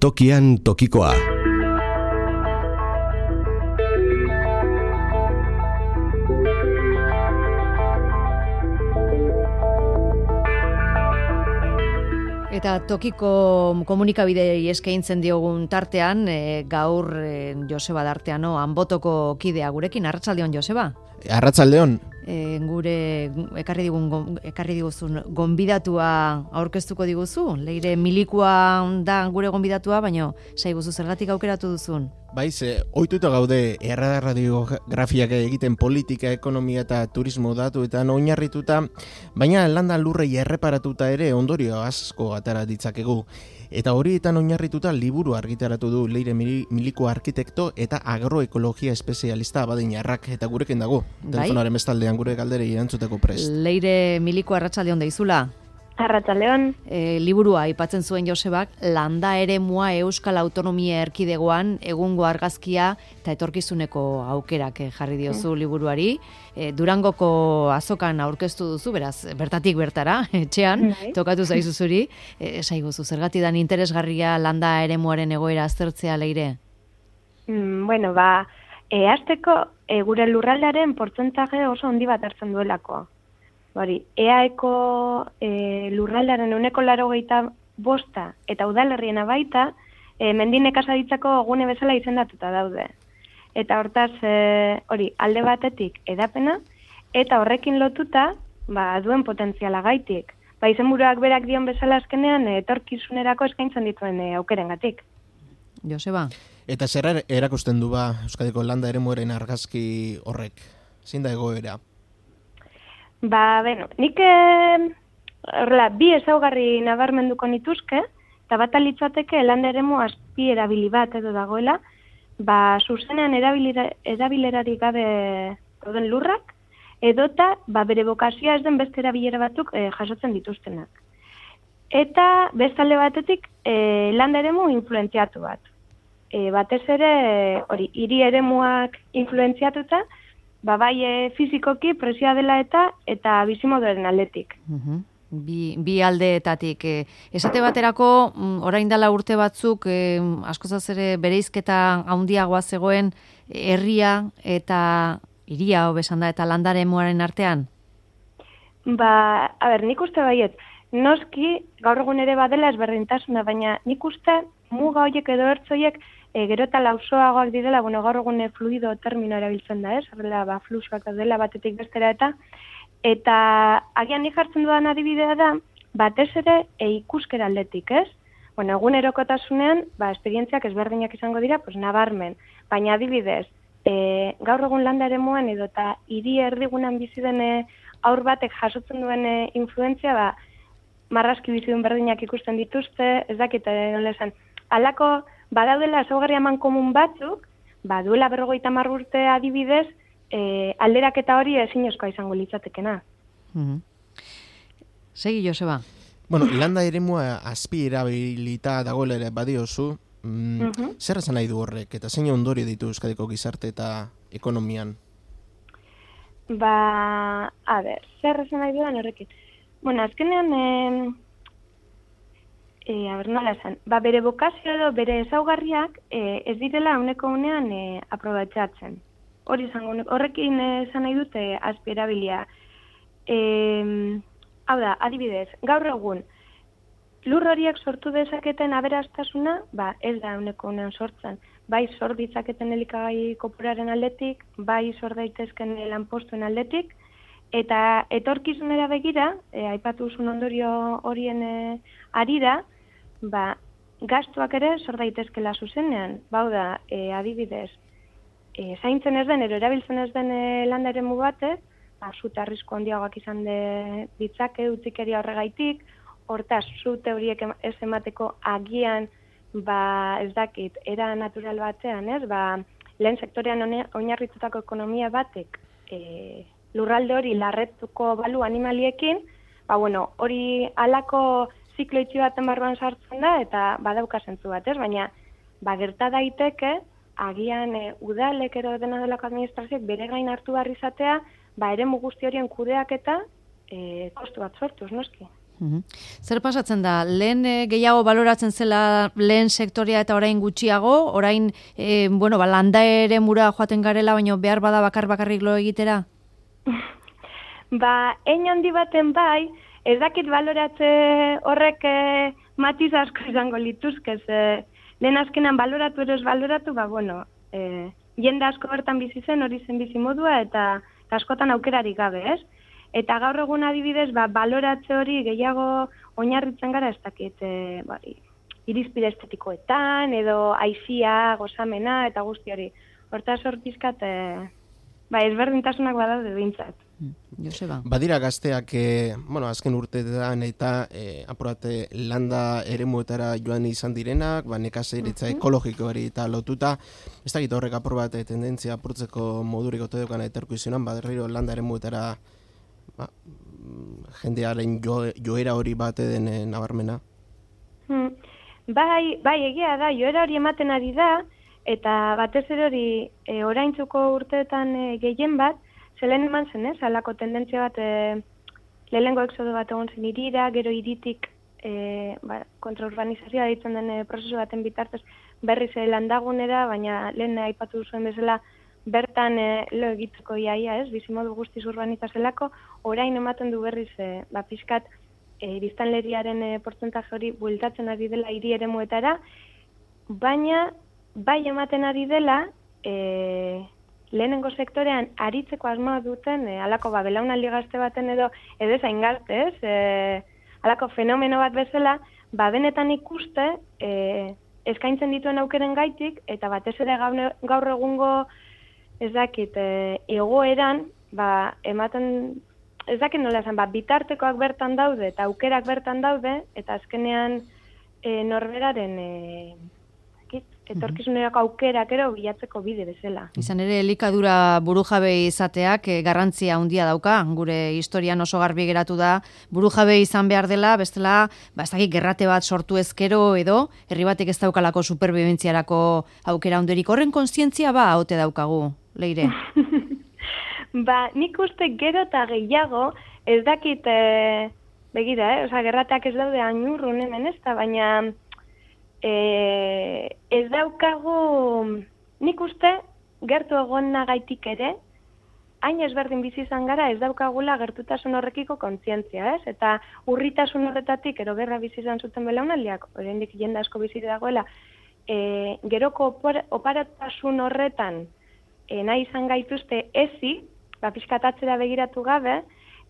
Tokian tokikoa. Eta tokiko komunikabidei eskaintzen diogun tartean, gaur Joseba Darteano Anbotoko kidea gurekin. Arratsaldeon, Joseba. Arratsaldeon. Gure ekarri diguzun gonbidatua aurkeztuko diguzu. Leire Milikua da gure gonbidatua, baina saiguzu zergatik aukeratu duzun. Baiz, ohituta gaude erradiografiak egiten politika, ekonomia eta turismo datuetan oinarrituta, baina landa lurrei erreparatuta ere ondorio asko atera ditzakegu. Eta horietan oinarrituta liburu argitaratu du Leire Milikua arkitekto eta agroekologia espezialista Abadiñarrak, eta gurekin dago. Telefonaren bestaldean gure galderei erantzuteko prest. Leire Milikua, arratsaldeon deizula. Arratsaldeon. Liburua aipatzen zuen Josebak, landa eremua Euskal Autonomia Erkidegoan egungo argazkia eta etorkizuneko aukerak jarri diozu liburuari. Durangoko azokan aurkeztu duzu, beraz, bertatik bertara, etxean, tokatu zaizu zuri. Saiguzu, zergatidan interesgarria landa eremuaren egoera aztertzea, Leire? Hasteko gure lurraldearen portzentaje oso handi bat hartzen duelako. EAeko lurraldearen 85% eta udalerriena baita mendi nekazaritzako gune bezala izendatuta daude. Eta hortaz, alde batetik edapena eta horrekin lotuta duen potentziala gaitik. Izenburuak berak dion bezala azkenean etorkizunerako eskaintzen dituen aukerengatik. Joseba. Eta zer erakusten du Euskadiko landa eremuaren argazki horrek? Zein da egoera? Nik bi ezaugarri nabarmenduko nituzke, eta bat alitzateke landa eremu azpi erabili bat edo dagoela, zuzenean erabilerarik gabe dauden lurrak, edota bere bokazioa ez den beste erabilera batzuk jasotzen dituztenak. Eta bestalde batetik landa eremu influentziatu bat. Batez ere, hiri eremuak influentziatuta, bai fizikoki presioa dela eta bizimoduaren aldetik. Bi aldeetatik. Esate baterako, orain dela urte batzuk, askozaz ere bereizketa handiagoa zegoen herria eta hiria hobesan da eta landa eremuaren artean? Nik uste baiet, noski gaur egun ere badela ezberdintasuna, baina nik uste muga horiek edo ertzoiek gero eta lausoagoak direla, gaur egun fluido termino erabiltzen da, horrela fluxuak dela batetik bestera eta agian nik jartzen dudan adibidea da, batez ere ikuskera aldetik, ez? Egunerokotasunean, esperientziak ezberdinak izango dira, nabarmen, baina adibidez, gaur egun landa eremuan edo eta hiri erdigunan bizi den aur batek jasotzen duen influentzia, marrazki bizidun berdinak ikusten dituzte, ez dakit nola esan, halako badaudela ezaugarri eman komun batzuk, duela 50 urte adibidez, alderaketa hori ezinezkoa izango litzatekena. Segi, Joseba. Landa eremua azpi erabilita dagoela ere badiozu, zer esan nahi du horrek, eta zein ondorio ditu Euskadiko gizarte eta ekonomian? Zer esan nahi dudan horrekin? Azkenean, nola esan, bere bokazio edo bere ezaugarriak ez direla uneko unean aprobatzatzen. Horrekin esan nahi dute azpi erabilia. Adibidez, gaur egun, lur horiek sortu dezaketen aberastasuna, ez da uneko unean sortzen. Bai sor ditzaketen elikagai kopuraren aldetik, bai sor daitezken lanpostuen aldetik, eta etorkizunera begira, aipatu zuen ondorio horien arira, gastuak ere sor daitezkela zuzenean. Adibidez, zaintzen ez den, erabiltzen ez den landa eremu batek, zute arrisku handiagoak izan ditzake utzikeria horregaitik, hortaz, zute horiek ez emateko agian, ez dakit, era natural batean, lehen sektorean oinarritutako ekonomia batek lurralde hori larretuko balu animaliekin, hori alako ziklo itxi baten barruan sartzen da, eta badauka zentzu bat, baina gerta daiteke, agian udalek ero dena delako administrazioek bere gain hartu behar izatea, eremu guzti horien kudeak eta kostu bat sortuz, noski. Zer pasatzen da? Lehen gehiago baloratzen zela lehen sektorea eta orain gutxiago? Orain, landa ere mura joaten garela, baina behar bada bakarrik lo egitera? Hein handi baten bai, ez dakit baloratze horrek matiz asko izango lituzkez. Lehen azkenan baloratu edo ez baloratu, jende asko bertan bizi zen, hori zen bizi modua, eta askotan aukerarik gabe, ez? Eta gaur egun adibidez, baloratze hori gehiago oinarritzen gara, ez dakit, irizpide estetikoetan, edo aizia, gozamena, eta guzti hori. Hortaz hor pizkat, ezberdintasunak badaude behintzat. Joseba. Badira gazteak, azken urteetan eta apurate landa eremuetara joan izan direnak, nekazaritza ekologikoari eta lotuta, ez dakit horrek apur bat tendentzia apurtzeko modurik ote dukana eterko izunan, berriro landa eremuetara jendearen joera hori bate den nabarmena? Bai, egia da, joera hori ematen ari da, eta batez ere hori oraintzuko urteetan gehien bat, zelen eman zen, halako tendentzia bat, lehenengo exodo bat egon zen hirira, gero hiritik kontraurbanizazioa ditzen den prozesu baten bitartez berriz landagunera, baina lehen aipatu zuen bezala bertan lo egiteko iaia, bizimodu guztiz urbanita zelako, orain ematen du berriz pixkat biztanleriaren portzentaje hori bueltatzen ari dela hiri eremuetara, baina bai ematen ari dela lehenengo sektorean aritzeko asmoa duten halako belaunaldi gazte baten edo zain gazte, halako fenomeno bat bezala, benetan ikuste eskaintzen dituen aukeren gaitik, eta batez ere gaur egungo ez dakit, egoeran, ematen, ez dakit nola esan, bitartekoak bertan daude, eta aukerak bertan daude, eta azkenean norberaren etorkizunerako aukerak ero bilatzeko bide bezala. Izan ere, elikadura burujabe izateak garrantzia handia dauka, gure historian oso garbi geratu da, burujabe izan behar dela, bestela, ez dakit gerrate bat sortu ezkero edo, herri batek ez daukalako superbibentziarako aukera handerik. Horren kontzientzia haute daukagu, Leire? Nik uste gero eta gehiago, ez dakit, begira, gerrateak ez daude hainurrun hemen ez da, baina ez daukagu, nik uste, gertu egon nagaitik ere, hain ezberdin bizi izan gara, ez daukagula gertutasun horrekiko kontzientzia, ez? Eta urritasun horretatik, ero berra bizi izan zuten belaunaldiak, oraindik jende asko bizi dagoela, geroko oparatasun horretan nahi izan gaituzte ezi, pixkatatzera begiratu gabe,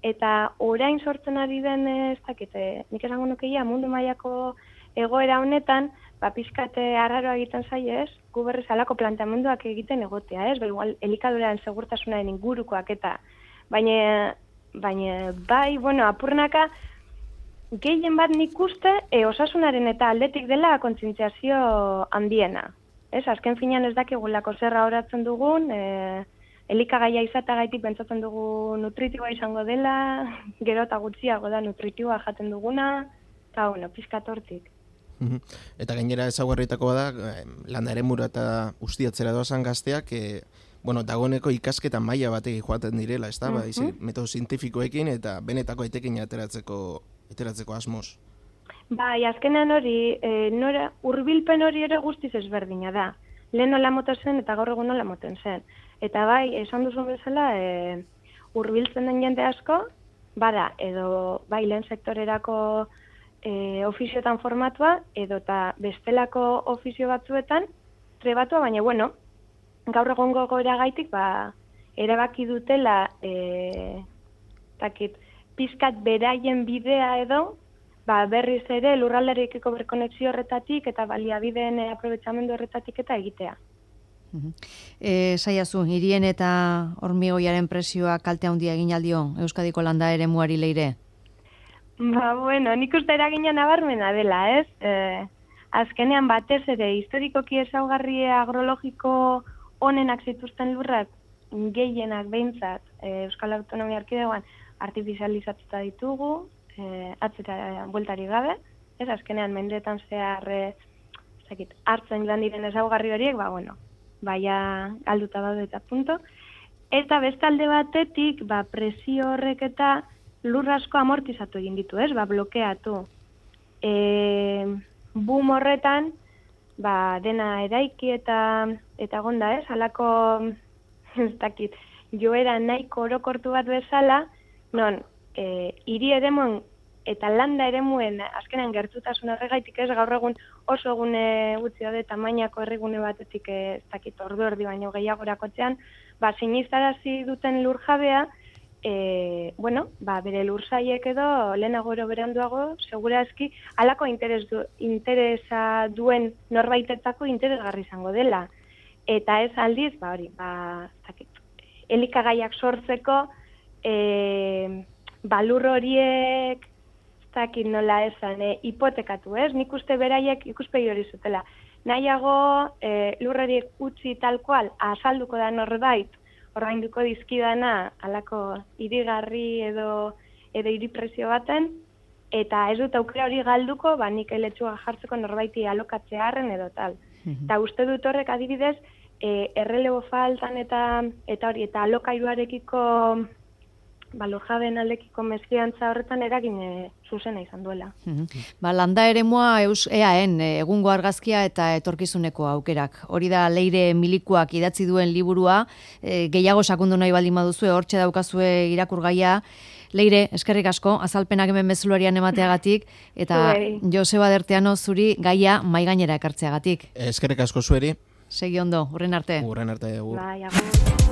eta orain sortzen ari den, ez dakit, nik esango nukeia, mundu mailako egoera honetan, pizkate arraroa egiten zaie, gu berriz alako planteamenduak egiten egotea, igual elikaduraren segurtasunaren ingurukoak eta, baina bai, apurnaka, gehien bat nik uste, osasunaren eta aldetik dela kontzientziazio handiena. Azken finean ez dakigulako zerra horatzen dugun, elikagaia izatagaitik pentsatzen dugu nutritiboa izango dela, gero eta gutxiago da nutritiboa jaten duguna, eta pizkat hortik. Eta gainera ezaugarrietako da, landa eremura eta ustiatzera doazan gazteak, dagoeneko ikasketa maila batekin joaten direla, ez da, metodo zientifikoekin eta benetako etekin ateratzeko asmoz. Azkenean hori, hurbilpen hori ere guztiz ezberdina da. Lehen nola moten zen eta gaur egun nola moten zen. Eta esan duzun bezala, hurbiltzen den jende asko, bada, edo lehen sektorerako ofizioetan formatua, edo eta bestelako ofizio batzuetan trebatua, baina gaur egongo goera gaitik, erabaki dutela pizkat beraien bidea edo, berriz ere lurraldearekiko berkonexio horretatik eta baliabideen aprobetxamendu horretatik eta egitea. Saiazu, hirien eta hormigoiaren presioa kalte handia egin aldio Euskadiko landa eremuari, Leire? Nik uste eragina nabarmena dela, ez? Azkenean batez ere, historikoki ezaugarri agrologiko onenak zituzten lurrak, gehienak behintzat, Euskal Autonomia Erkidegoan artifizializatuta ditugu, atzera bueltari gabe, ez? Azkenean mendeetan zehar hartzen lan diren ezaugarri horiek, galduta daude eta punto. Eta bestalde batetik, presio horrek eta lur asko amortizatu egin ditu, ez? Blokeatu. Boom horretan, dena eraiki eta gonda, ez? Halako, ez dakit, joera nahiko orokortu bat bezala, non, hiri eremuen eta landa eremuen azkenan gertutasun horregaitik ez gaur egun oso egune gutxi daude tamainako herrigune batetik ez dakit ordu erdi baino gehiagorakotzean, sinistarazi duten lurjabea, bere lursaiek edo lehenago ero beranduago, segurazki, halako interesa duen norbaitetzako interesgarri izango dela. Eta ez aldiz, elikagaiak sortzeko, lur horiek, ez dakit nola esan, hipotekatu, ez? Nik uste beraiek ikuspegi hori zutela. Nahiago, lur horiek utzi tal kual, azalduko da norbait, ordainduko dizkidana halako hirigarri edo hiripresio baten, eta ez dut aukera hori galduko, nik eletxua jartzeko norbaiti alokatzearren edo tal. Eta uste dut horrek adibidez, errelebo faltan eta alokairuarekiko lurjabeen aldekiko mesfidantza horretan eragin zuzena izan duela. Landa eremua EAen egungo argazkia eta etorkizuneko aukerak. Hori da Leire Milikuak idatzi duen liburua, gehiago sakundu nahi baldin baduzue, hortxe daukazue irakurgaia. Leire, eskerrik asko, azalpenak hemen bezularian emateagatik, eta Joseba Derteano zuri gaia maigainera ekartzeagatik. Eskerrik asko zueri. Segi ondo, hurren arte. Hurren arte. Bai, agur.